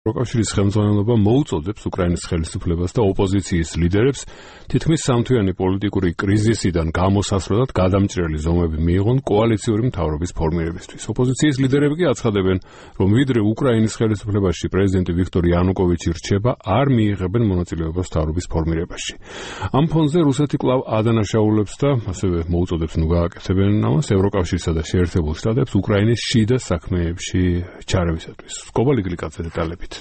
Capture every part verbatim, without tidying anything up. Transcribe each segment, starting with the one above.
ევროკავშირის ხელმძღვანელობა მოუწოდებს უკრაინის ხელისუფლებას და ოპოზიციის ლიდერებს თითქმის სამთვიანი პოლიტიკური კრიზისიდან გამოსასვლელად გადამჭრელი ზომები მიიღონ კოალიციური მთავრობის ფორმირებისთვის. ოპოზიციის ლიდერები კი აცხადებენ, რომ ვიდრე უკრაინის ხელისუფლებაში პრეზიდენტი ვიქტორ იანუკოვიჩი რჩება, არ მიიღებენ მონაწილეობას მთავრობის ფორმირებაში. ამ ფონზე რუსეთი კვლავ ადანაშაულებს და ასევე მოუწოდებს ნუ გააკეთებენ ამას ევროკავშირსა და შეერთებულ შტატებს უკრაინის შიდა საქმეებში ჩარევისათვის. სკოლა ლიგლიკაძე დეტალებით.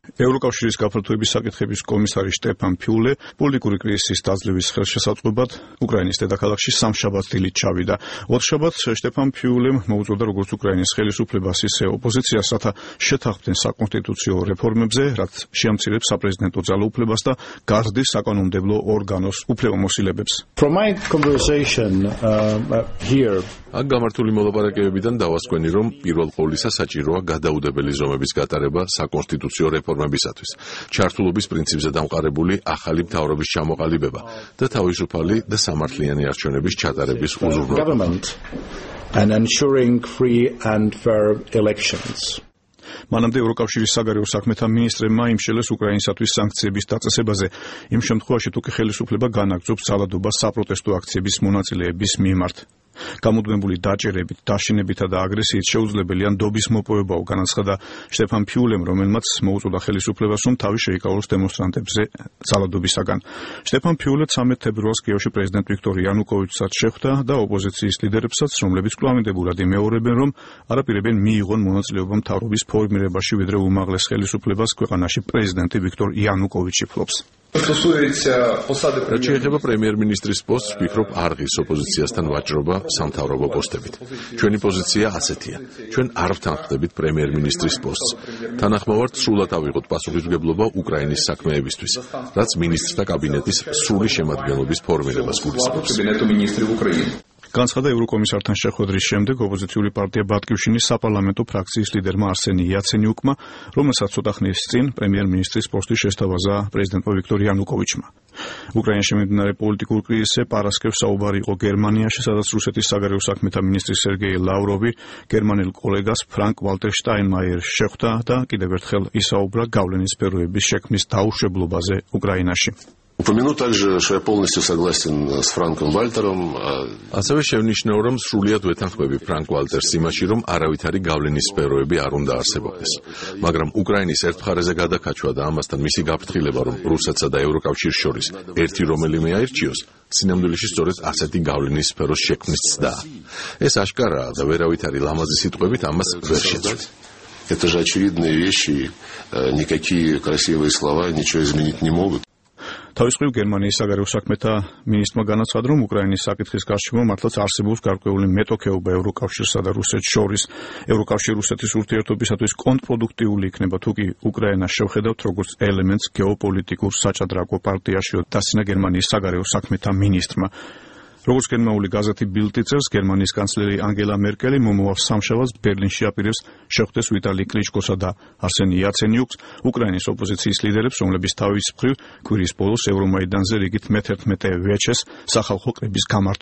ევროკავშირის გაფართოების საკითხების კომისარი შტეფან ფიულე პოლიტიკური კრიზისის დაძლევის ხელშესაწყობად უკრაინის დედაქალაქში სამშაბათს დილით ჩავიდა. ოთხშაბათს შტეფან ფიულემ მოუწოდა როგორც უკრაინის ხელისუფლებას, ისე ოპოზიციას, რათა შეთანხმდნენ საკონსტიტუციო რეფორმებზე, რაც შეამცირებს საპრეზიდენტო ძალაუფლებას და გაზრდის საკანონმდებლო ორგანოს უფლებამოსილებებს. From my conversation uh, here აქ გამართული მოლაპარაკებებიდან დავასკვენი, რომ პირველ ყოვლისა საჭიროა გადაუდებელი ზომების გატარება საკონსტიტუციო რეფორმებისათვის, ჩართულობის პრინციპზე დამყარებული ახალი მთავრობის ჩამოყალიბება და თავისუფალი და სამართლიანი არჩევნების ჩატარების უზრუნველყოფა. and ensuring free and fair elections. მანამდე ევროკავშირის საგარეო საქმეთა მინისტრებმა იმშელეს უკრაინისათვის სანქციების დაწესებაზე, იმ შემთხვევაში თუ კი ხელისუფლება განაგრძობს ძალადობას საპროტესტო აქციების მონაწილეების მიმართ. გამუდმებული დაჭერებით, დაშინებითა და აგრესიით შეუძლებელია ნდობის მოპოვებაო, განაცხადა შტეფან ფიულემ, რომელმაც მოუწოდა ხელისუფლებას, რომ თავი შეიკავოს დემონსტრანტებზე ძალადობისაგან. შტეფან ფიულე ცამეტ თებერვალს კიევში პრეზიდენტ ვიქტორ იანუკოვიჩსაც შეხვდა და ოპოზიციის ლიდერებსაც, რომლებიც კვლავინდებურად იმეორებენ, რომ არაპირებენ მიიღონ მონაწილეობა მთავრობის ფორმირებაში, ვიდრე უმაღლეს ხელისუფლებას ქვეყანაში პრეზიდენტი ვიქტორ იანუკოვიჩი ფლობს. რაც შეეხება პრემიერ-მინისტრის პოსტს, ვფიქრობ, არ ღირს ოპოზიციასთან ვაჭრობა სამთავრობო პოსტებით. ჩვენი პოზიცია ასეთია. ჩვენ არ ვთანხმდებით პრემიერ-მინისტრის პოსტს. თანახმოვართ, სრულად ავიღოთ პასუხისმგებლობა უკრაინის საქმეებისთვის, რაც მინისტრთა კაბინეტის სრული შემადგენლობის ფორმირებას გულისხმობს. განცხადა ევროკომისართან შეხვედრის შემდეგ ოპოზიციური პარტია ბატკივშინის საპარლამენტო ფრაქციის ლიდერმა არსენი იაცენიუკმა, რომელსაც ცოტა ხნის წინ პრემიერ-მინისტრის პოსტი შესთავაზა პრეზიდენტმა ვიქტორ იანუკოვიჩმა. უკრაინაში მიმდინარე პოლიტიკურ კრიზისზე პარასკევს საუბარი იყო გერმანიაში, სადაც რუსეთის საგარეო საქმეთა მინისტრი სერგეი ლავროვი გერმანელ კოლეგას ფრანკ ვალტერ შტაინმაიერს შეხვდა და კიდევ ერთხელ ისაუბრა გავლენის სფეროების შექმნის დაუშვებლობაზე უკრაინაში. Упомяну также, что я полностью согласен с Франком Вальтером. ასევე შევნიშნეო, რომ სრულიად ვეთანხმები ფრანკ ვალტერს იმაში, რომ არავითარი გავლენის სფეროები არ უნდა არსებობდეს. მაგრამ უკრაინის ერთ მხარეზე გადაკაჩვა და ამასთან მისი გაფრთხილება, რომ რუსეთსა და ევროკავშირს შორის ერთი რომელიმე აირჩიოს, სინამდვილეში სწორედ ასეთი გავლენის სფეროს შექმნის ცდაა. ეს აშკარაა და ვერავითარი ლამაზი სიტყვებით ამას ვერ შეცვლით. Это же очевидные вещи, никакие красивые слова ничего изменить не могут. თავის მხრივ გერმანიის საგარეო საქმეთა მინისტრმა განაცხადა, რომ უკრაინის საკითხის გარშემო მართლაც არსებობს გარკვეული მეტოქეობა ევროკავშირსა და რუსეთს შორის. ევროკავშირი რუსეთის ურთიერთობისათვის კონტრპროდუქტიული იქნება, თუ კი უკრაინას შევხედავთ როგორც ელემენტს გეოპოლიტიკურ საჭადრაკო პარტიაშიო, დასცინა გერმანიის საგარეო საქმეთა მინისტრმა. როგორც გერმანული გაზეთი ბილდი წერს, გერმანიის კანცლერი ანგელა მერკელი მომავალ სამშაბათს ბერლინში აპირებს შეხვდეს ვიტალი კლიჩკოსა და არსენი იაცენიუკს, უკრაინის ოპოზიციის ლიდერებს, რომლებიც თავის მხრივ კვირის ბოლოს ევრომაიდანზე რიგით მეთერთმეტე ვეჩეს სახალხო კრების გამართვა